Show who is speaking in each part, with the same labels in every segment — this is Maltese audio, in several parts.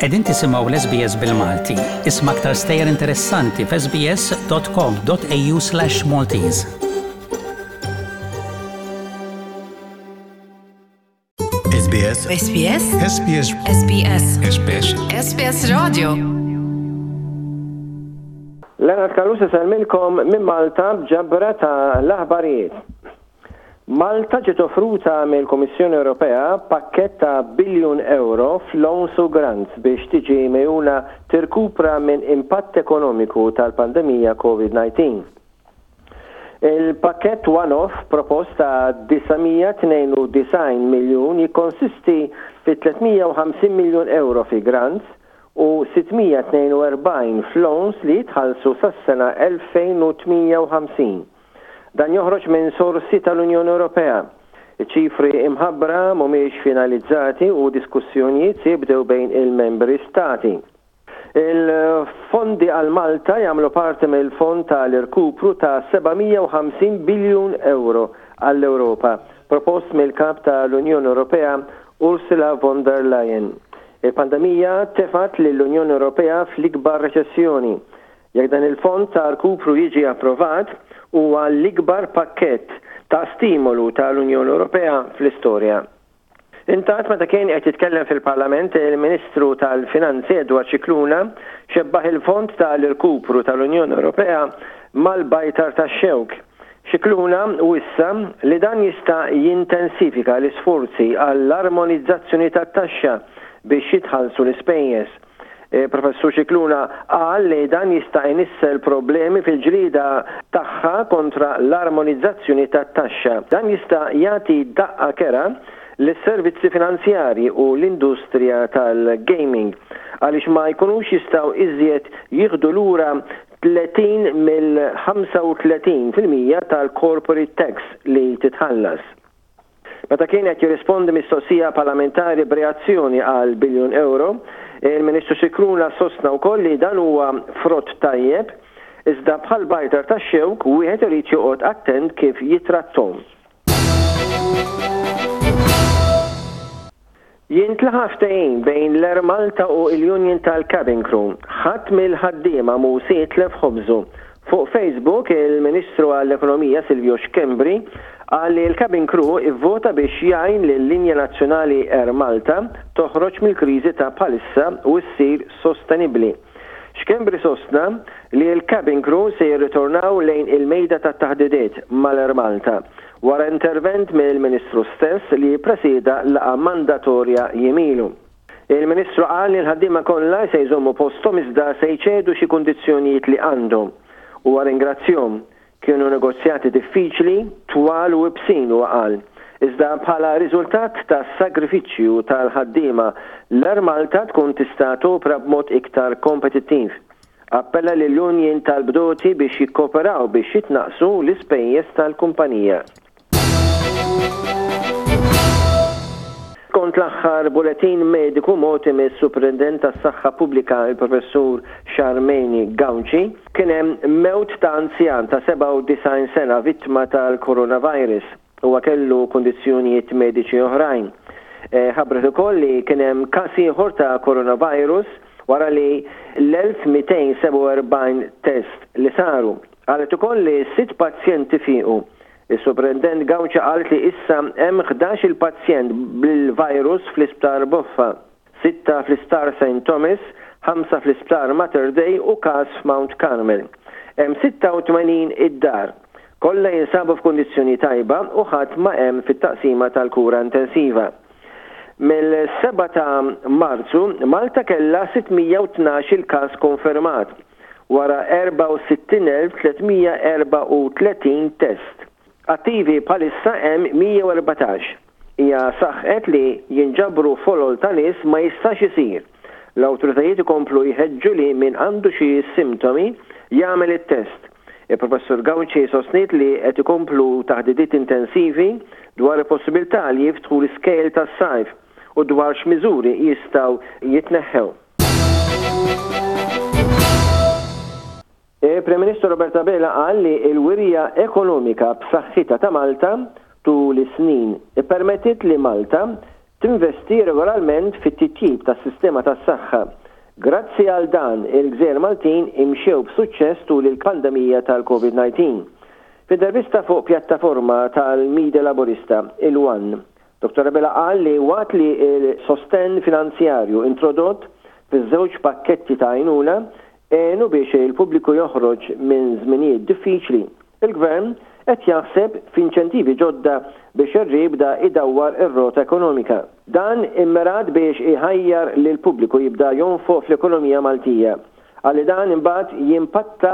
Speaker 1: Qegħdin tisimgħu l-SBS bil-Malti. Isma' aktar stejjer interessanti f'sbs.com.au/maltese.
Speaker 2: SBS
Speaker 3: SBS
Speaker 2: SBS
Speaker 3: SBS
Speaker 2: SBS
Speaker 3: SBS Radio
Speaker 4: Leonard Callus isellmilkom minn Malta b'ġabra ta' l-aħbarijiet. Malta ġiet offruta mill-Kummissjoni Ewropea pakkett ta' biljun ewro f'loans u grants biex tiġi megħjuna tirkupra minn impatt ekonomiku tal-pandemija Covid-19. Il-pakkett one-off propost ta' 992 miljun jikkonsisti fi 350 miljun ewro fi grants u 642 f'loans li jitħallsu sas-sena 2058. Dan joħroġ minn sorsi tal-Unjoni Ewropea. Iċ-ċifri imħabbra mhumiex finalizzati u diskussjonijiet se jibdew bejn il-membri stati. Il-fondi għal Malta jagħmlu parti mill-fond ta' l-irkupru ta' 750 biljun ewro għall-Ewropa, propost mill-Kap ta' l-Unjoni Ewropea Ursula von der Leyen. Il-pandemija tefgħet lill-Unjoni Ewropea fl-ikbar reċessjoni. Jekk dan il-fond ta' rkupru jiġi approvat, huwa l-ikbar pakkett ta' stimolu ta' l-Unjoni Ewropea fl-istorja. Intant meta kien qed jitkellem fil-Parlament, il-Ministru tal-Finanzi Edward Scicluna xebbaħ il-Fond ta' l-Irkupru tal-Unjoni Ewropea mal-bajtar tax-xewk. Scicluna wissa li dan jista' jintensifika l-isforzi għall-armonizzazzjoni tat-taxxa biex jitħallsu l-ispejjeż. Il-Professur Scicluna qal li dan jista' inissel problemi fil-ġlieda tagħha kontra l-armonizzazzjoni tat-taxxa. Dan jista' jagħti daqqa kerha lis-servizzi finanzjarji u l-industrija tal-gaming għaliex ma jkunux jistgħu iżjed jieħdu lura 30 mill-35% tal-corporate tax li titħallas. Meta kien qed jirrispondi mistoqsija parlamentari b'reazzjoni għal biljun ewro, il-Ministru Scicluna sostna wkoll li dan huwa frott tajjeb, iżda bħal bajtar tax-xewk wieħed irid joqgħod attent kif jitratthom. Jintlaħaq ftehim bejn l-Air Malta u l-Union tal-Cabin Crew. Ħadd mill-ħaddiema mhu se jitlef ħobżu. Fuq Facebook, il-Ministru għall-Ekonomija Silvio Schembri qal li l-cabin crew ivvota biex jgħin lil-linja nazzjonali Air Malta toħroġ mill-kriżi ta' bħalissa u ssir sostenibbli. Schembri sostna li l-cabin crew se jirritornaw lejn il-mejda tat-taħdidiet mal-Air Malta wara intervent mill-Ministru stess li ppresieda laqgħa mandatorja jiem ilu. Il-Ministru qal li l-ħaddiema kollha se jżommu posthom iżda se jċedu xi kundizzjonijiet li għandhom. Huwa ringrazzjhom. Kienu negozjati diffiċli, twal u ibsin, huwa qal. Iżda bħala riżultat tas-sagrifiċċju tal-ħaddiema, l-Air Malta tkun tista' topra b'mod iktar kompetittiv. Appella lill-unjin tal-bdoti biex jikkooperaw biex jitnaqqsu l-ispejjeż tal-kumpanija. Skont l-aħħar buletin mediku mogħti mis-Suprintendent tas-Saħħa Pubblika il-Professur Charmaine Gauci, kien hemm mewt ta' anzjan ta' 97 sena vittma tal-coronavirus. Huwa kellu kundizzjonijiet mediċi oħrajn. Ħabbret ukoll li kien hemm każ ieħor ta' coronavirus wara li l-1247 test li saru. Qalet ukoll li sitt pazjenti fiequ. Is-Suprintendent Gauci qalet li issa hemm 11-il pazjent bil-virus fl-Isptar Boffa. Sitta fl-Isptar Saint Thomas, ħamsa fl-Isptar Mater Dei u każ f'Mount Carmel. Hemm 86 id-dar. Kollha jinsabu f'kundizzjoni tajba u ħadd ma hemm fit-taqsima tal-kura intensiva. Mill-7 ta' Marzu, Malta kellha 612-il każ konfermat, wara 64,334 test. Attivi bħalissa hemm 114. Hija saħqet li jinġabru folol ta' nies ma jistax isir. L-awtoritajiet ikomplu jħeġġu li min għandu xi simtomi jagħmel it-test. Il-Professur Gauci sostniet li qed ikomplu taħdidiet intensivi dwar il-possibilità li jiftħu l-iskejjel tas-sajf u dwar x'miżuri jistgħu jitneħħew. Il-Prim Ministru Robert Abela qal li l-wirja ekonomika b'saħħitha ta' Malta tul is-snin ippermettiet li Malta tinvesti regolarment fit-titjib tas-sistema tas-saħħa. Grazzi għal dan, il-gżejjer Maltin imxew b'suċċess tul il-pandemija tal-Covid-19. F'intervista fuq pjattaforma tal-media Laburista, il-One, Dottor Abela qal li waqt li l-sostenn finanzjarju introdott fiż-żewġ pakketti ta' għajnuna għenu biex il-pubbliku joħroġ minn żminijiet diffiċli, il-Gvern qed jaħseb f'inċentivi ġodda biex ir-riebda jdawwar ir-rota ekonomika. Dan immirat biex iħajjar lill-pubbliku jibda jonfoq fl-ekonomija Maltija. Qal li dan imbagħad jimpatta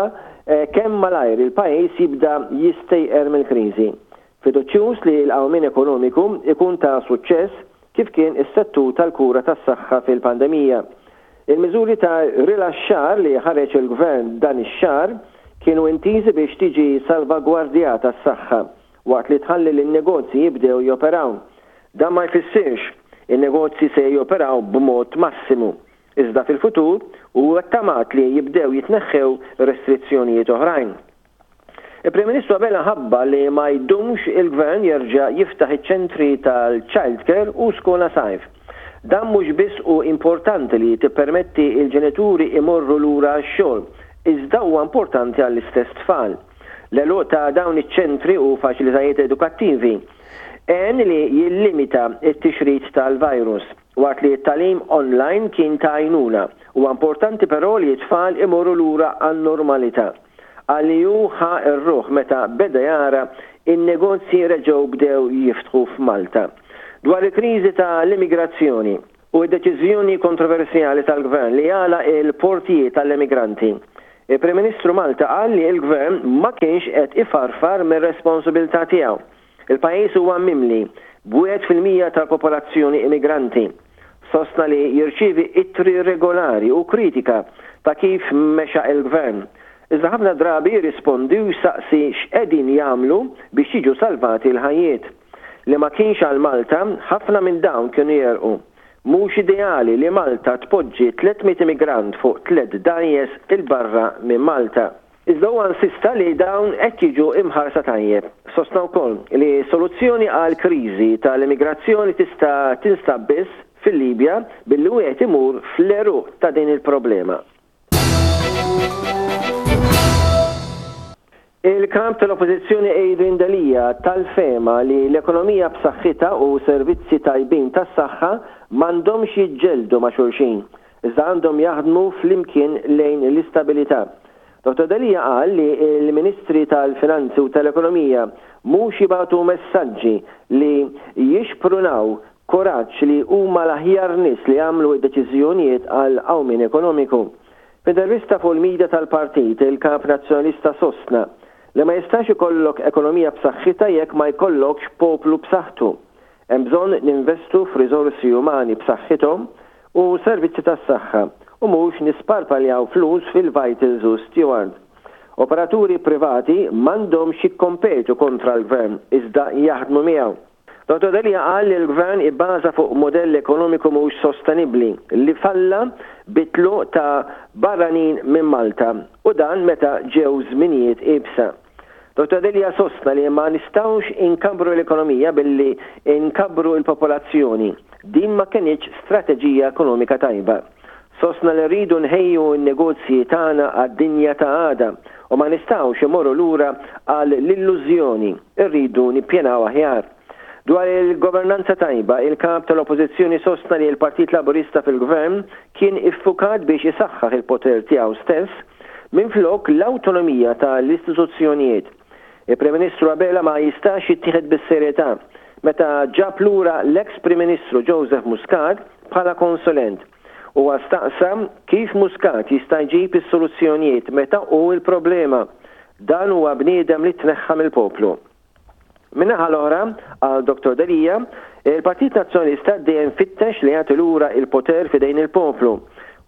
Speaker 4: kemm malajr il-pajjiż jibda jistejqer mill-kriżi. Fiduċjuż li l-qawmien ekonomiku jkun ta' suċċess kif kien is-settur tal-kura tas-saħħa fil-pandemija. Il-miżuri ta' rilaxxar li ħareġ il-Gvern dan ix-xahar kienu intiżi biex tiġi salvagwardjata s-saħħa waqt li tħalli lin-negozji jibdew joperaw. Dan ma jfissirx in-negozji se joperaw b'mod massimu, iżda fil-futur huwa ttamat li jibdew jitneħħew restrizzjonijiet oħrajn. Il-Prim Ministru Abela ħabbar li ma jdumx il-Gvern jerġa' jiftaħ iċ-ċentri tal-child care u skola sajf. Dan mhux biss hu importanti li tippermetti l-ġenituri imorru lura għax-xogħol, iżda huwa importanti għall-istess tfal. L-għeluq ta' dawn iċ-ċentri u faċilitajiet edukattivi għen li jillimita t-tixrid tal-virus. Waqt li t-tagħlim online kien ta' għajnuna, huwa importanti però li t-tfal imorru lura għan-normalità. Qal li hu ħa r-ruħ meta beda jara n-negozji reġgħu bdew jiftħu f'Malta. Dwar il-kriżi ta' l-immigrazzjoni u d-deċiżjoni kontroversjali tal-Gvern li jagħlaq il-portijiet għall-emigranti, il-Prim Ministru Malta qal li l-Gvern ma kienx qed ifarfar mir-responsabilità tiegħu. Il-pajjiż huwa mimli b'1% tal-popolazzjoni immigranti. Sostna li jirċievi ittri regolari u kritika ta' kif mexa il-Gvern. Iżda ħafna drabi jirrispondi u jsaqsi x'qegħdin jagħmlu biex jiġu salvati l-ħajjiet. Li ma kienx għal Malta, ħafna minn dawn kienu jegħrqu. Mhux ideali li Malta tpoġġi 300 immigrant fuq tlett dgħajjes 'il barra minn Malta. Iżda huwa insista li dawn qed jiġu imħarsa tajjeb. Sostna wkoll li soluzzjoni għall-kriżi tal-immigrazzjoni tista' tinstab biss fil-Libja billi wieħed imur fl-għeruq ta' din il-problema. Il-Kap tal-Oppożizzjoni Adrian Delia tal-fehma li l-ekonomija b'saħħitha u servizzi tajbin tas-saħħa m'għandhomx jiġġeldu ma' xulxin. iżda għandhom jaħdmu flimkien lejn l-istabilità. Dottor Delia qal li l-Ministri tal-Finanzi u tal-Ekonomija mhux jibagħtu messaġġi li jixprunaw kuraġġ li huma l-aħjar nies li jagħmlu d-deċiżjonijiet għal qawmien ekonomiku. F'intervista fuq il-media tal-partit, il-Kap Nazzjonalista sostna li ma jistax ikollok ekonomija b'saħħitha jekk ma jkollokx poplu b'saħħtu. Hemm bżonn ninvestu f'riżorsi umani b'saħħithom u servizzi tas-saħħa u mhux nisparpaljaw flus fil-Vitals u Steward. Operaturi privati m'għandhomx jikkompetu kontra l-Gvern iżda jaħdmu miegħu. Dottor Delia qal li l-Gvern ibbaża fuq mudell ekonomiku mhux sostenibbli li falla bit-tluq ta' barranin minn Malta u dan meta ġew żminijiet iebsa. Dottor Delia sostna li ma nistgħux inkabbru l-ekonomija billi nkabbru l-popolazzjoni. Din ma kenitx strateġija ekonomika tajba. Sostna li rridu nħejju n-negozji tagħna għad-dinja ta' għada u ma nistgħux imorru lura għal l-illużjoni, irridu nippjanaw aħjar. Dwar il-governanza tajba, il-Kap tal-Oppożizzjoni sostna li l-Partit Laburista fil-Gvern kien iffukat biex isaħħaħ il-poter tiegħu stess Minflok l-awtonomija ta' l-istituzzjonijiet. Il-Prim Ministru Abela ma jistax jittieħed bis-serjetà meta ġab lura l-eks Prim Ministru Joseph Muscat bħala konsulent. Huwa staqsa kif Muscat jista' jġib is-soluzzjonijiet meta hu l-problema. Dan huwa bniedem li tneħħa mill-poplu. Min-naħa l-oħra, qal Dottor Delia, il-Partit Nazzjonalista dejjem fittex li jagħti lura il-poter f'idejn il-poplu,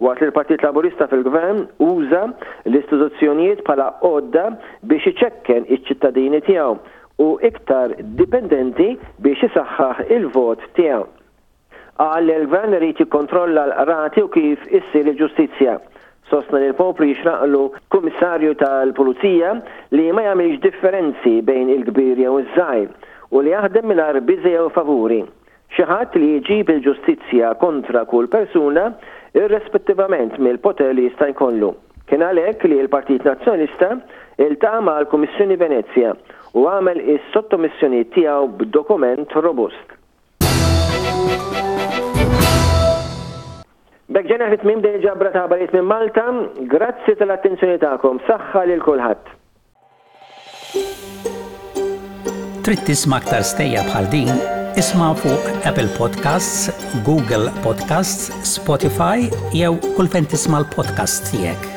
Speaker 4: waqt li l-Partit Laburista fil-Gvern uża l-istituzzjonijiet bħala għodda biex iċekken iċ-ċittadini tiegħu u iktar dipendenti biex isaħħaħ il-vot tiegħu. Qal li l-Gvern irid jikkontrolla l-qrati u kif issir il-ġustizzja. Sostna li l-poplu jixraqlu Kummissarju tal-Pulizija li ma jagħmilx differenzi bejn il-kbir jew iż-żgħir u li jaħdem mingħajr biża' jew favuri. Xi ħadd li jġib il-ġustizzja kontra kull persuna irrespettivament mill-poter li jista' jkollu. Kien għalhekk li l-Partit Nazzjonalista iltaqa' mal-Kummissjoni Venezja u għamel is-sottomissjonijiet tiegħu b'dokument robust. B'hekk ġejna fi tmiem din il-ġabra ta' aħbarijiet minn Malta. Grazzi tal-attenzjoni tagħkom. Saħħa lil kulħadd.
Speaker 1: Trid tisma' aktar stejjer bħal din? Isma' fuq Apple Podcasts, Google Podcasts, Spotify jew kull fejn tisma' l-podcasts tiegħek.